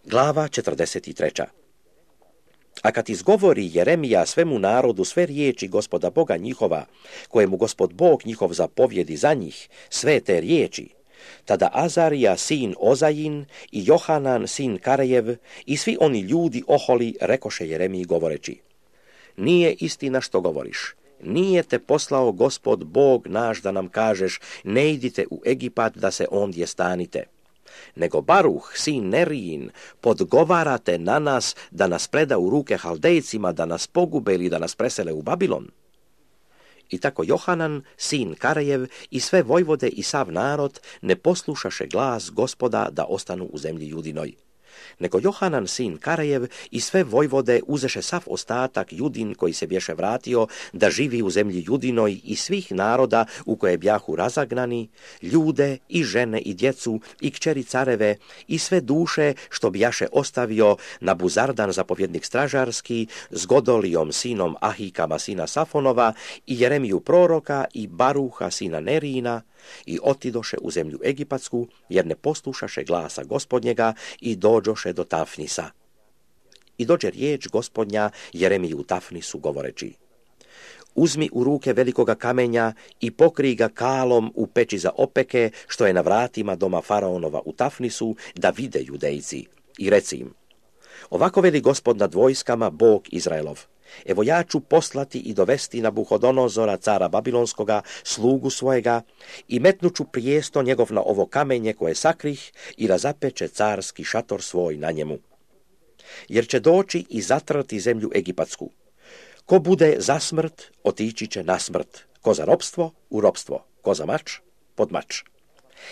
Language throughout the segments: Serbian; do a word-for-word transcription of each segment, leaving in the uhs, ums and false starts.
Glava četrdeset treća. A kad izgovori Jeremija svemu narodu sve riječi Gospoda Boga njihova, kojemu Gospod Bog njihov zapovjedi za njih, sve te riječi, tada Azarija sin Ozajin i Johanan sin Karejev i svi oni ljudi oholi rekoše Jeremiji govoreći: nije istina što govoriš, nije te poslao Gospod Bog naš da nam kažeš ne idite u Egipat da se ondje stanite, nego Baruh sin Nerijin podgovarate na nas da nas preda u ruke Haldejcima, da nas pogube ili da nas presele u Babilon. I tako Johanan, sin Karejev i sve vojvode i sav narod ne poslušaše glas Gospoda da ostanu u zemlji Judinoj. Nego Johanan, sin Karejev i sve vojvode uzeše sav ostatak Judin koji se bješe vratio da živi u zemlji Judinoj i svih naroda u koje bjahu razagnani, ljude i žene i djecu i kćeri careve i sve duše što bjaše ostavio na Buzardan zapovjednik stražarski s Godolijom sinom Ahikama sina Safonova i Jeremiju proroka i Baruha sina Nerijina i otidoše u zemlju Egipatsku jer ne poslušaše glasa Gospodnjega i dođoše do Tafnisa. I dođe riječ Gospodnja Jeremiju u Tafnisu govoreći: uzmi u ruke velikoga kamenja i pokrij ga kalom u peći za opeke što je na vratima doma faraonova u Tafnisu da vide Judejci i reci im: ovako veli Gospod nad vojskama, Bog Izraelov: evo ja ću poslati i dovesti Nabuhodonozora, cara Babilonskoga, slugu svojega, i metnuću prijesto njegov na ovo kamenje koje sakrih i razapeće carski šator svoj na njemu. Jer će doći i zatrati zemlju Egipatsku. Ko bude za smrt, otići će na smrt. Ko za ropstvo, u ropstvo. Ko za mač, pod mač.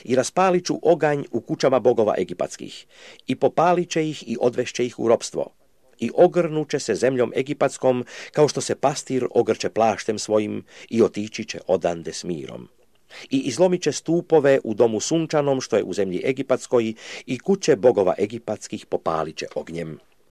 I raspalit ću oganj u kućama bogova egipatskih, i popalit će ih i odvešće ih u ropstvo. I ogrnuće se zemljom egipatskom, kao što se pastir ogrče plaštem svojim, i otići će odande s mirom. I izlomit će stupove u domu sunčanom, što je u zemlji egipatskoj, i kuće bogova egipatskih popalit će ognjem.